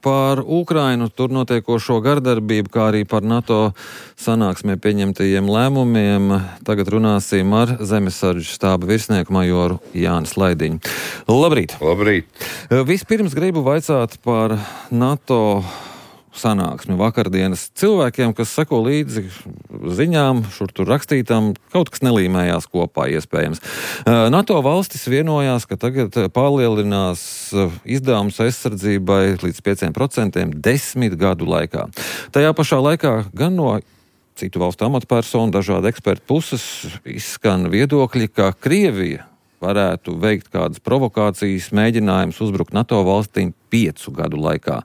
par Ukrainu, tur notiekošo gardarbību, kā arī par NATO sanāksmē pieņemtajiem lēmumiem. Tagad runāsim ar Zemesardzes štāba virsnieku majoru Jāni Slaidiņu. Labrīt! Labrīt! Vispirms gribu vaicāt par NATO sanāksmi vakardienas cilvēkiem, kas seko līdzi ziņām, šur tur rakstītām, kaut kas nelīmējās kopā iespējams. NATO valstis vienojās, ka tagad palielinās izdevumus aizsardzībai līdz 5% 10 gadu laikā. Tajā pašā laikā gan no citu valstu amatpersonu, dažādu ekspertu puses izskan viedokļi, ka Krievija varētu veikt kādas provokācijas, mēģinājumus uzbrukt NATO valstīm 5 gadu laikā.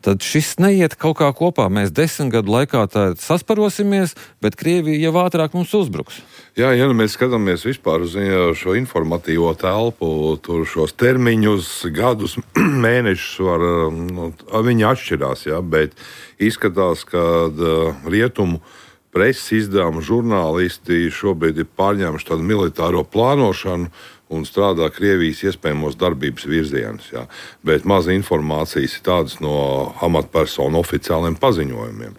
Tad šis neiet kaut kā kopā. Mēs 10 gadu laikā sasparosimies, bet Krievija jau ātrāk mums uzbruks. Jā, ja mēs skatāmies vispār uz šo informatīvo telpu, tur šos termiņus, gadus, mēnešus viņi atšķirās, jā, bet izskatās, ka rietumu preses izdevuma žurnālisti šobrīd ir pārņēmuši tādu militāro plānošanu un strādā Krievijas iespējamos darbības virzienus. Jā. Bet maz informācijas ir tādas no amatpersonu oficiāliem paziņojumiem.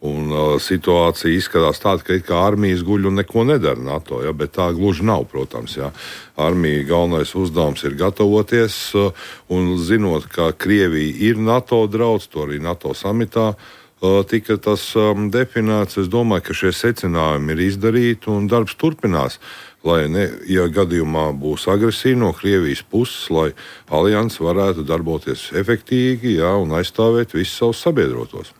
Un situācija izskatās tāda, ka armijas guļ un neko nedara NATO, jā, bet tā gluži nav, protams. Jā. Armija galvenais uzdevums ir gatavoties, un zinot, ka Krievija ir NATO draudz, to arī NATO samitā tika tas definēts. Es domāju, ka šie secinājumi ir izdarīti un darbs turpinās. Lai, ja gadījumā būs agresija no Krievijas puses, lai alianse varētu darboties efektīgi, jā, un aizstāvēt visus savus sabiedrotos.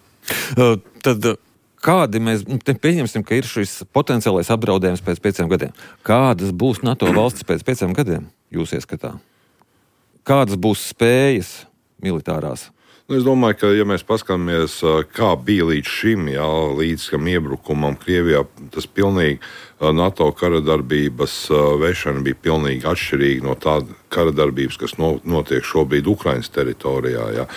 Tad kādi mēs pieņemsim, ka ir šis potenciālais apdraudējums pēc 5 gadiem? Kādas būs NATO valstis pēc 5 gadiem, jūs ieskatā? Kādas būs spējas militārās? Es domāju, ka, ja mēs paskatāmies, kā bija līdz šim, jā, līdz iebrukumam Krievijā, tas pilnīgi NATO karadarbības vešana bija pilnīgi atšķirīga no tāda karadarbības, kas notiek šobrīd Ukrainas teritorijā. Jā.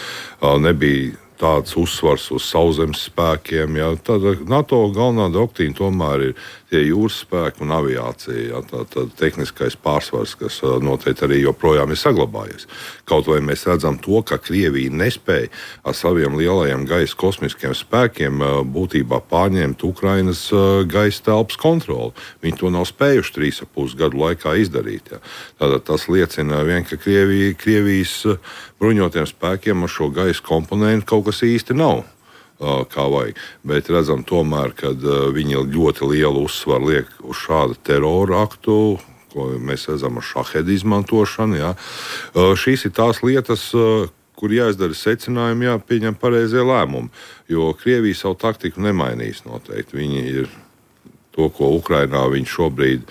Nebija tāds uzsvars uz sauszemes spēkiem. Jā. Tad NATO galvenā doktrīna tomēr ir tie jūras spēki un aviācija. Jā. Tā tehniskais pārsvars, kas noteikti arī joprojām ir saglabājies. Kaut vai mēs redzam to, ka Krievija nespēja ar saviem lielajiem gaisa kosmiskiem spēkiem būtībā pārņemt Ukrainas gaisa telpas kontroli. Viņi to nav spējuši 3,5 gadu laikā izdarīt. Jā. Tātad tas liecina vien, ka Krievijas bruņotiem spēkiem ar šo gaisa komponentu kaut kas īsti nav kā vajag. Bet redzam tomēr, ka viņi ļoti lielu uzsvaru liek uz šādu terora aktu, ko mēs redzam ar šahedu izmantošanu. Jā. Šīs ir tās lietas, kur jāizdara secinājumi, jāpieņem pareizie lēmumi. Jo Krievija savu taktiku nemainīs noteikti. Viņi ir to, ko Ukrainā viņi šobrīd,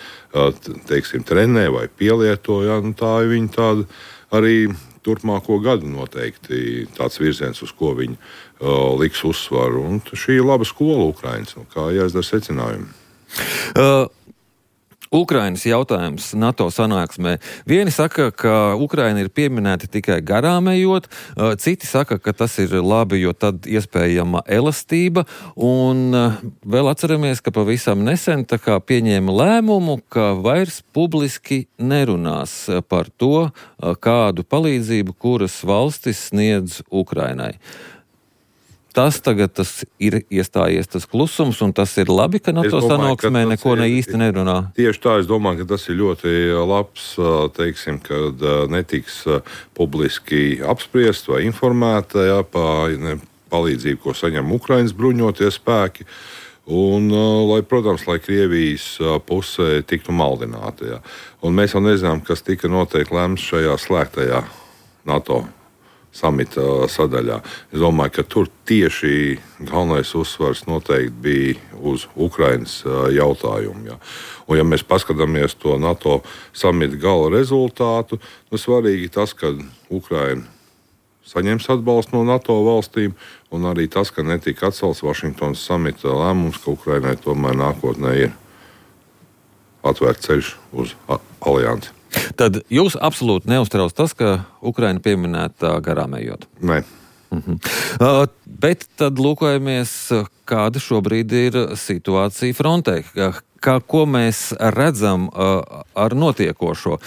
teiksim, trenē vai pielieto, jā, tā ir viņa tāda arī turpmāko gadu noteikti tāds virziens, uz ko viņi liks uzsvaru. Un šī ir laba skola Ukrainas, kā jāizdara secinājumi. Ukrainas jautājums NATO sanāksmē. Vieni saka, ka Ukraina ir pieminēta tikai garām ejot, citi saka, ka tas ir labi, jo tad iespējama elastība, un vēl atceramies, ka pavisam nesen tā kā pieņēma lēmumu, ka vairs publiski nerunās par to, kādu palīdzību kuras valstis sniedz Ukrainai. Tas tagad ir iestājies tas klusums, un tas ir labi, ka NATO sanāksmē neko ne īsti nerunā. Tieši tā, es domāju, ka tas ir ļoti labs, teiksim, kad netiks publiski apspriest vai informēt par palīdzību, ko saņem Ukrainas bruņotie spēki. Un, protams, lai Krievijas pusē tiktu maldināta. Jā. Un mēs jau nezinām, kas tika noteikti lemts šajā slēgtajā NATO samita sadaļā. Es domāju, ka tur tieši galvenais uzsvars noteikti bija uz Ukrainas jautājumu. Jā. Un, ja mēs paskatāmies to NATO samita gala rezultātu, svarīgi tas, ka Ukraina saņems atbalstu no NATO valstīm, un arī tas, ka netika atcelts Vašingtonas samita lēmums, ka Ukrainai tomēr nākotnē ir atvērts ceļš uz aliansi. Tad jūs absolūti neuztrauc tas, ka Ukraina pieminēta garām ejot? Nē. Bet tad lūkojamies, kāda šobrīd ir situācija frontē. Ko mēs redzam ar notiekošo?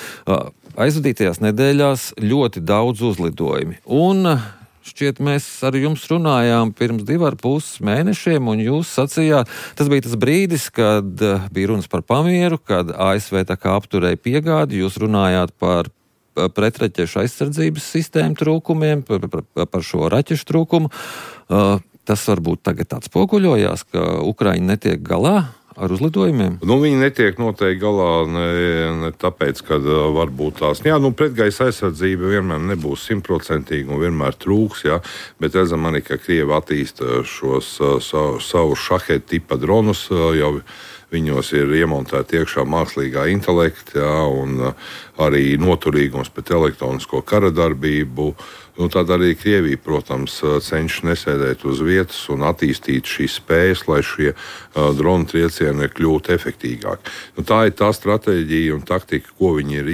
Aizvadītajās nedēļās ļoti daudz uzlidojumi. Un šķiet, mēs ar jums runājām pirms 2,5 mēnešiem, un jūs sacījāt, tas bija tas brīdis, kad bija runas par pamieru, kad ASV tā kā apturēja piegādi, jūs runājāt par pretraķešu aizsardzības sistēmu trūkumiem, par šo raķešu trūkumu. Tas varbūt tagad atspoguļojās, ka Ukraina netiek galā ar uzlidojumiem? Viņi netiek noteikti galā ne tāpēc, ka varbūt tās... pretgaisa aizsardzība vienmēr nebūs 100% un vienmēr trūks, bet redzam arī, ka Krievi attīsta šos savu šahetu tipa dronus, jau viņos ir iemontēti iekšā mākslīgā intelekta, un arī noturīgums pret elektronisko kara darbību. Tad arī Krievija, protams, cenšas nesēdēt uz vietas un attīstīt šīs spējas, lai šie dronu triecieni kļūtu efektīgāki. Tā ir tā stratēģija un taktika, ko viņi ir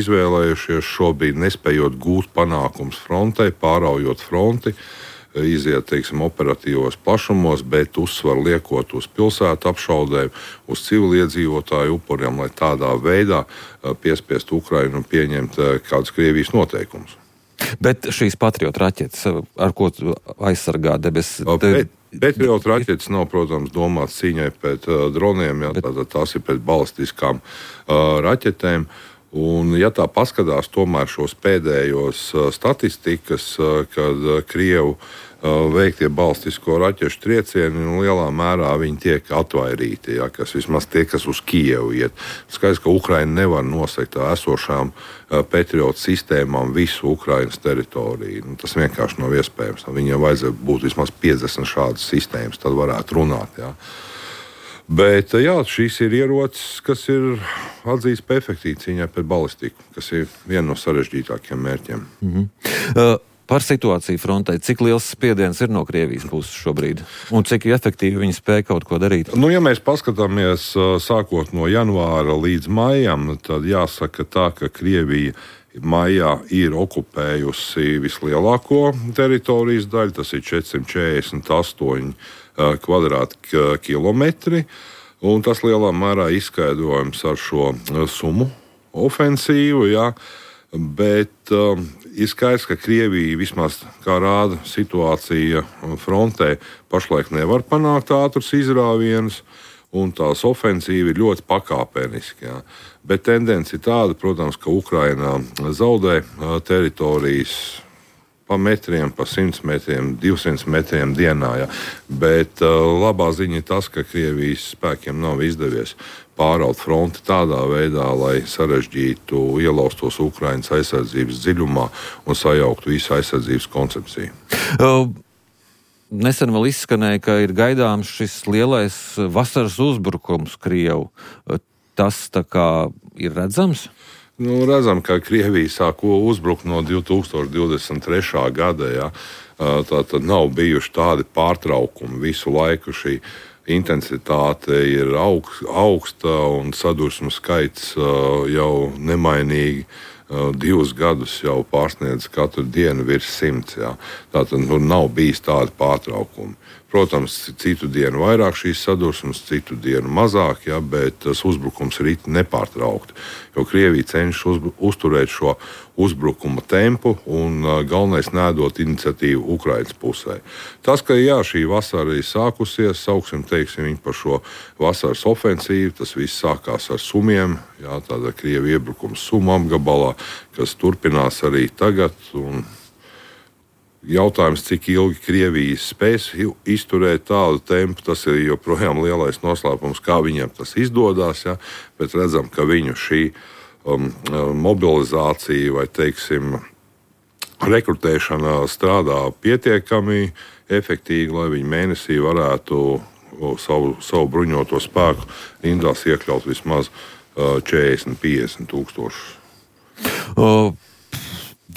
izvēlējušies šobrīd, nespējot gūt panākums frontē, pāraujot fronti, iziet, operatīvos plašumos, bet uzsvaru liekot uz pilsētu apšaudēm, uz civiliedzīvotāju upuriem, lai tādā veidā piespiest Ukrainu pieņemt kādus Krievijas noteikumus. Bet šīs Patriot raķetes, ar ko aizsargā debesis? Patriot raķetes nav, protams, domāts cīņai pret droniem, tās ir pret balistiskām raķetēm. Un, ja tā paskatās tomēr šos pēdējos statistikas, kad Krievu veiktie balistisko raķešu triecieni, lielā mērā viņi tiek atvairīti, kas vismaz tie, kas uz Kijevu iet. Skaidrs, ka Ukraina nevar nosegt esošām Patriot sistēmām visu Ukrainas teritoriju. Tas vienkārši nav iespējams. Viņiem vajadzētu būt vismaz 50 šādas sistēmas, tad varētu runāt. Bet šīs ir ierocis, kas ir atzīts par efektīvu cīņā pret balistiku, kas ir viena no sarežģītākajiem mērķiem. Par situāciju frontē, cik liels spiediens ir no Krievijas puses šobrīd? Un cik efektīvi viņi spēj kaut ko darīt? Ja mēs paskatāmies sākot no janvāra līdz maijam, tad jāsaka tā, ka Krievija maijā ir okupējusi vislielāko teritorijas daļu, tas ir 448 kvadrātkilometri, un tas lielā mērā izskaidrojams ar šo Sumu ofensīvu, bet ir skaidrs, ka Krievija, vismaz kā rāda situācija frontē, pašlaik nevar panākt ātrus izrāvienus, un tās ofensīva ir ļoti pakāpeniski. Bet tendence ir tāda, protams, ka Ukraina zaudē teritorijas pa metriem, pa 100 metriem, 200 metriem dienā. Bet labā ziņa ir tas, ka Krievijas spēkiem nav izdevies pāraut fronti tādā veidā, lai sarežģītu ielaustos Ukrainas aizsardzības dziļumā un sajauktu visu aizsardzības koncepciju. Nesen vēl izskanēja, ka ir gaidāms šis lielais vasaras uzbrukums Krievu. Tas tā kā ir redzams? Redzam, ka Krievija sāk uzbrukt no 2023. gada. Tātad nav bijuši tādi pārtraukumi visu laiku. Šī intensitāte ir augsta un sadursmu skaits jau nemainīgi 2 gadus jau pārsniedz katru dienu virs 100. Tātad nav bijis tādi pārtraukumi. Protams, citu dienu vairāk šīs sadursmes, citu dienu mazāk, bet tas uzbrukums ir nepārtraukti. Jo Krievija cenšas uzturēt šo uzbrukuma tempu un galvenais nēdot iniciatīvu Ukrainas pusē. Tas, ka šī vasara ir sākusies, sauksim viņu par šo vasaras ofensīvu, tas viss sākās ar Sumiem, tāda Krievija iebrukums Sumu apgabalā, kas turpinās arī tagad. Jautājums, cik ilgi Krievija spēs izturēt tādu tempu, tas ir joprojām lielais noslēpums, kā viņiem tas izdodas. Bet redzam, ka viņu šī mobilizācija vai, rekrutēšana strādā pietiekami efektīgi, lai viņi mēnesī varētu savu bruņoto spēku rindās iekļaut vismaz 40-50 tūkstošus.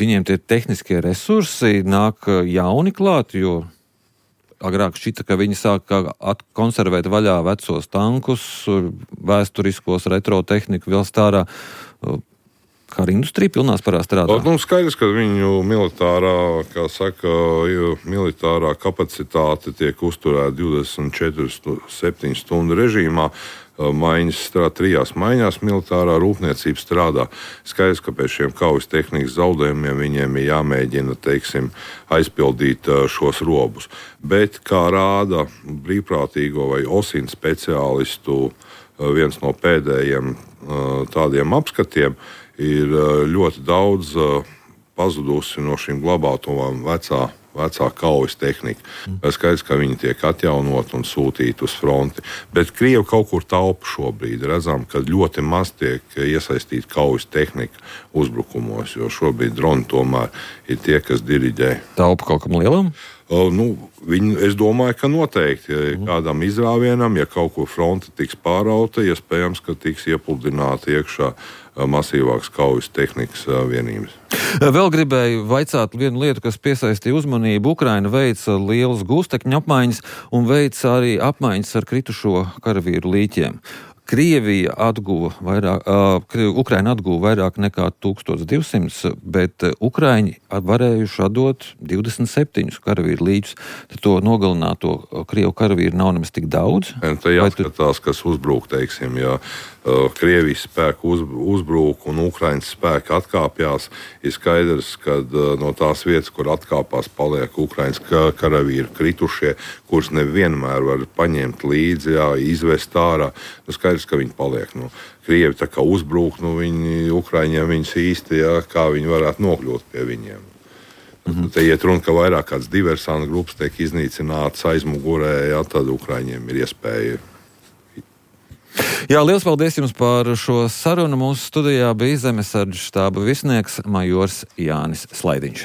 Viņiem tie tehniskie resursi nāk jauni klāt, jo agrāk šķita, ka viņi sāk konservēt vaļā vecos tankus, vēsturiskos retro tehniku vēl stārā. Kara industrija pilnā spārā strādā? Skaidrs, ka viņu militārā kapacitāte tiek uzturēta 24/7 stundu režīmā. maiņas strādā, 3 maiņās militārā rūpniecība strādā. Skaidrs, ka pēc šiem kaujas tehnikas zaudējumiem viņiem ir jāmēģina, teiksim, aizpildīt šos robus. Bet, kā rāda brīvprātīgo vai OSINT speciālistu viens no pēdējiem tādiem apskatiem, ir ļoti daudz pazudusi no šīm glabātuvām vecā kaujas tehnika. Skaidrs, ka viņi tiek atjaunot un sūtīti uz fronti. Bet Krievi kaut kur taupa šobrīd. Redzam, ka ļoti maz tiek iesaistīta kaujas tehnika uzbrukumos, jo šobrīd droni tomēr ir tie, kas diriģē. Taupa kaut kam lielam? Es domāju, ka noteikti kādam izrāvienam, ja kaut kur fronte tiks pārauta, iespējams, ka tiks iepludināta iekšā masīvākas kaujas tehnikas vienības. Vēl gribēju vaicāt vienu lietu, kas piesaistīja uzmanību. Ukraina veica lielas gūstekņu apmaiņas un veica arī apmaiņas ar kritušo karavīru līķiem. Ukraina atguva vairāk nekā 1200, bet Ukraiņi varējuši atdot 27 karavīru līķus. Tad to nogalināto Krievu karavīru nav nemaz tik daudz. Te jāskatās, kas uzbrūk, teiksim, ja Krievijas spēku uzbrūk un Ukrainas spēki atkāpjās, ir skaidrs, ka no tās vietas, kur atkāpās, paliek Ukrainas karavīri kritušie, kurus nevienmēr var paņemt līdzi, izvest ārā. Skaidrs, ka viņi paliek. Krievi tā kā uzbrūk, Ukraiņiem viņus īsti, kā viņi varētu nokļūt pie viņiem. Te iet runa, ka vairāk kāds diversantu grupas tiek iznīcināts aizmugurē, tad Ukraiņiem ir iespēja. Jā, liels paldies jums par šo sarunu. Mūsu studijā bija Zemesardzes štāba virsnieks majors Jānis Slaidiņš.